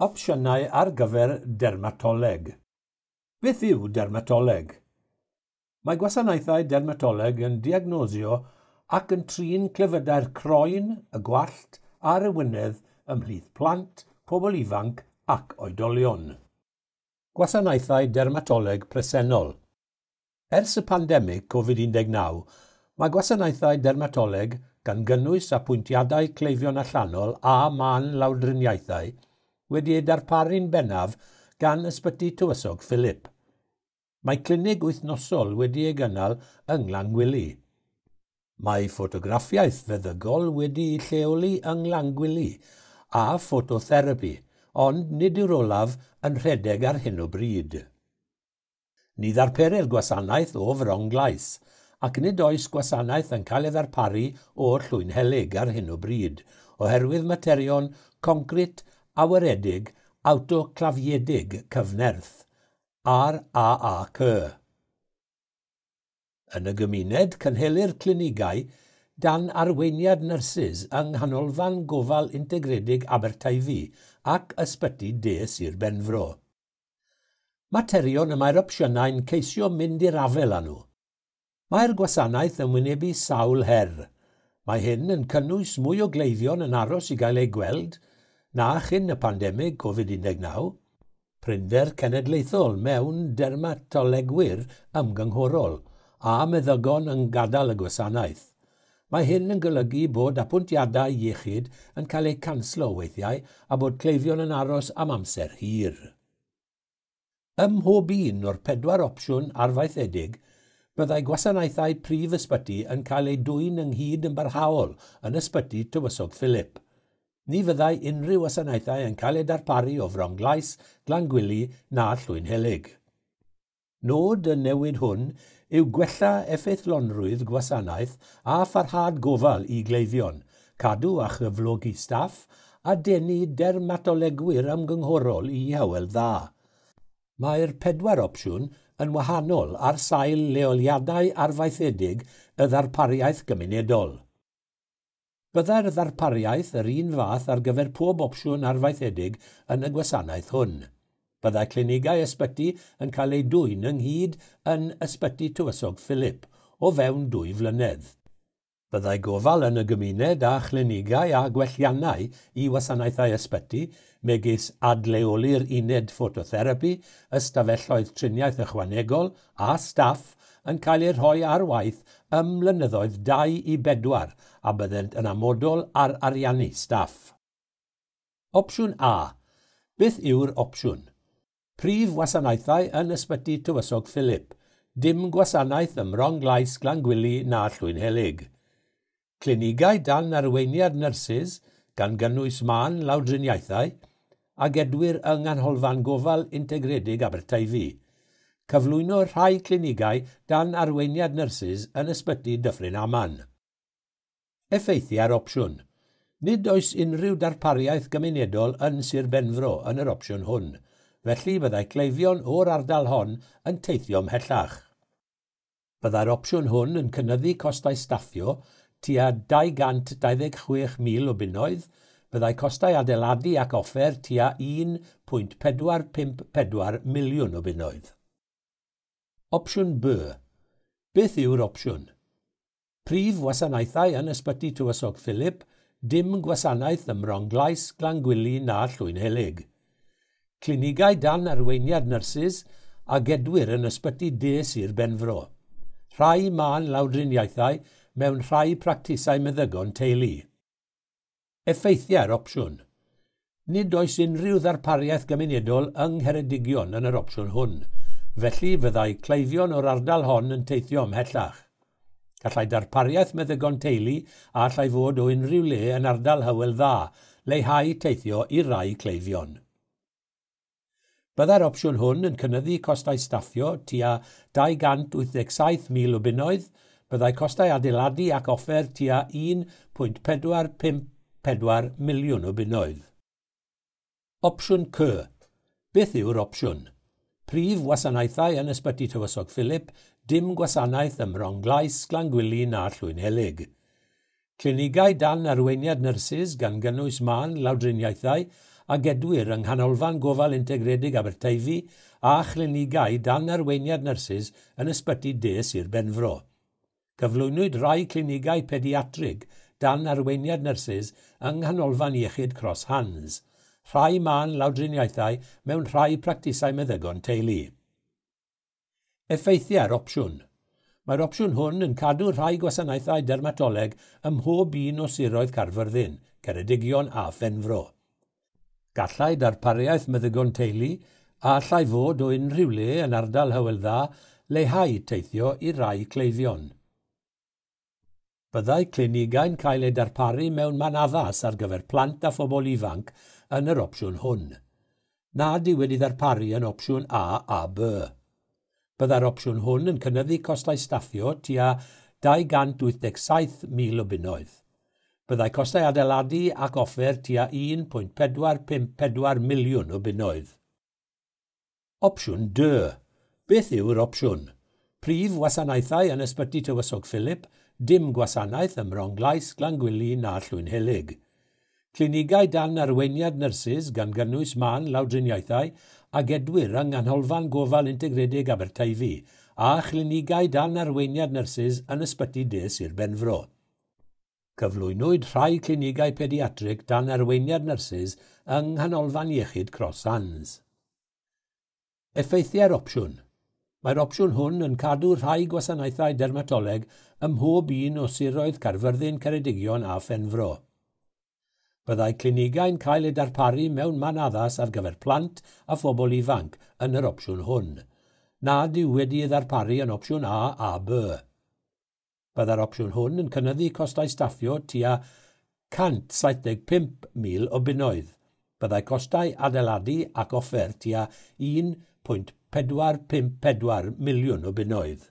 Opsiynau ar gyfer dermatoleg. Beth yw dermatoleg? Mae gwasanaethau dermatoleg yn diagnosio ac yn trin clefydau'r croen, y gwallt a'r ewinedd ymhlith plant, pobl ifanc ac oedolion. Gwasanaethau dermatoleg presennol. Ers y pandemig Covid-19, mae gwasanaethau dermatoleg gan gynnwys apwyntiadau cleifion allanol a mân lawdriniaethau wedi ei darparu'n bennaf gan Ysbyty Tywysog Philip. Mae clinig wythnosol wedi ei gynnal yng Nglangwili. Mae ffotograffiaeth feddygol wedi'i lleoli yng Nglangwili a ffototherapi, ond nid yw'r olaf yn rhedeg ar hyn o bryd. Ni ddarperir gwasanaeth o Fronglais, ac nid oes gwasanaeth yn cael ei ddarparu o'r Llwynhelyg ar hyn o bryd, oherwydd materion concrit awyredig awtoclafiedig cyfnerth, RAAC. Yn y gymuned, cynhelir clinigau dan arweiniad nyrsys yng Nghanolfan Gofal Integredig Aberteifi ac Ysbyty De Sir Benfro. Materion y mae'r opsiynau'n ceisio mynd i'r afael â nhw. Mae'r gwasanaeth yn wynebu sawl her. Mae hyn yn cynnwys mwy o gleifion yn aros i gael eu gweld na chyn y pandemig Covid-19, prinder cenedlaethol mewn dermatolegwyr ymgynghorol a meddygon yn gadael y gwasanaeth. Mae hyn yn golygu bod apwyntiadau iechyd yn cael eu canslo weithiau a bod cleifion yn aros am amser hir. Ym mhob un o'r pedwar opsiwn arfaethedig, byddai gwasanaethau prif ysbyty yn cael eu dwyn ynghyd yn barhaol yn Ysbyty Tywysog Philip. Ni fyddai unrhyw wasanaethau yn cael eu darparu o Fronglais, Glangwili na Llwynhelyg. Nod y newid hwn yw gwella effeithlonrwydd gwasanaeth a pharhad gofal i gleifion, cadw a chyflogi staff a denu dermatolegwyr ymgynghorol i Hywel Dda. Mae'r pedwar opsiwn yn wahanol ar sail leoliadau arfaethedig y ddarpariaeth gymunedol. Byddai'r ddarpariaeth yr un fath ar gyfer pob opsiwn arfaethedig yn y gwasanaeth hwn. Byddai clinigau ysbyty yn cael eu dwyn ynghyd yn Ysbyty Tywysog Philip o fewn 2 flynedd. Byddai gofal yn y gymuned a chlinigau a gwelliannau i wasanaethau ysbyty, megis adleoli'r uned ffototherapi, ystafelloedd triniaeth ychwanegol a staff yn cael eu rhoi ar waith ym mlynyddoedd 2 i 4 a byddent yn amodol ar ariannu staff. Opsiwn A. Beth yw'r opsiwn? Prif wasanaethau yn Ysbyty Tywysog Philip. Dim gwasanaeth ym Mronglais, Glangwili na Llwynhelyg. Clinigau dan arweiniad nyrsys, gan gynnwys mân lawdriniaethau, a gedwir yng Nghanolfan Gofal Integredig Aberteifi. Cyflwyno rhai clinigau dan arweiniad nyrsys yn Ysbyty Dyffryn Aman. Effeithiau'r opsiwn. Nid oes unrhyw darpariaeth gymunedol yn Sir Benfro yn yr opsiwn hwn, felly byddai cleifion o'r ardal hon yn teithio ymhellach. Byddai'r opsiwn hwn yn cynyddu costau staffio tua 226,000 o bunnoedd, byddai costau adeiladu ac offer tua 1.454 miliwn o bunnoedd. Opsiwn B. Beth yw'r opsiwn? Prif wasanaethau yn Ysbyty Tywysog Philip, dim gwasanaeth ym Mronglais, Glangwili na Llwynhelyg. Clinigau dan arweiniad nyrsys a gedwir yn Ysbyty De Sir Benfro. Rhai mân lawdriniaethau mewn rhai practisau meddygon teulu. Effeithiau'r opsiwn. Nid oes unrhyw ddarpariaeth gymunedol yng Ngheredigion yn yr opsiwn hwn, felly fyddai cleifion o'r ardal hon yn teithio ymhellach. Gallai darpariaeth meddygon teulu a allai fod o unrhyw le yn ardal Hywel Dda leihau teithio i rai cleifion. Byddai'r opsiwn hwn yn cynyddu costau staffio tua 287,000 o bunnoedd, byddai costau adeiladu ac offer tua 1.454 miliwn o bunnoedd. Opsiwn C. Beth yw'r opsiwn? Prif wasanaethau yn Ysbyty Tywysog Philip, dim gwasanaeth ym Mronglais, Glangwili na Llwynhelyg. Clinigau dan arweiniad nyrsys gan gynnwys mân lawdriniaethau a gedwir yng Nghanolfan Gofal Integredig Aberteifi a chlinigau dan arweiniad nyrsys yn ysbyty De Sir Benfro. Cyflwynwyd rhai clinigau pediatrig dan arweiniad nyrsys yng Nghanolfan Iechyd Cross Hands, rhai mân lawdriniaethau mewn rhai practisau meddygon teulu. Effeithiau'r opsiwn. Mae'r opsiwn hwn yn cadw rhai gwasanaethau dermatoleg ym mhob un o siroedd Caerfyrddin, Ceredigion a Phenfro. Gallai darpariaeth meddygon teulu, a allai fod o unrhyw le yn ardal Hywel Dda, leihau teithio i rai cleifion. Byddai clinigau'n cael eu darparu mewn man addas ar gyfer plant a phobl ifanc yn yr opsiwn hwn. Nad yw wedi ddarparu yn opsiwn A a B. Byddai'r opsiwn hwn yn cynyddu costau staffio tua 287,000 o bunnoedd. Byddai costau adeiladu ac offer tua 1.454 miliwn o bunnoedd. Opsiwn D. Beth yw'r opsiwn? Prif wasanaethau yn Ysbyty Tywysog Philip, dim gwasanaeth ym Mronglais, Glangwili na Llwynhelyg. Clinigau dan arweiniad nyrsys gan gynnwys mân lawdriniaethau a gedwir yng Nghanolfan Gofal Integredig Aberteifi a chlinigau dan arweiniad nyrsys yn Ysbyty De Sir Benfro. Cyflwynwyd rhai clinigau pediatrig dan arweiniad nyrsys yng Nghanolfan Iechyd Cross Hands. Effeithiau'r opsiwn. Mae'r opsiwn hwn yn cadw rhai gwasanaethau dermatoleg ym mhob un o siroedd Caerfyrddin, Ceredigion a Phenfro. Byddai clinigau'n cael eu darparu mewn man addas ar gyfer plant a phobl ifanc yn yr opsiwn hwn, nad yw wedi ei ddarparu yn opsiwn A a B. Byddai'r opsiwn hwn yn cynyddu costau staffio tua 175,000 o bunnoedd. Byddai costau adeiladu ac offer tua 1.454 miliwn o bunnoedd.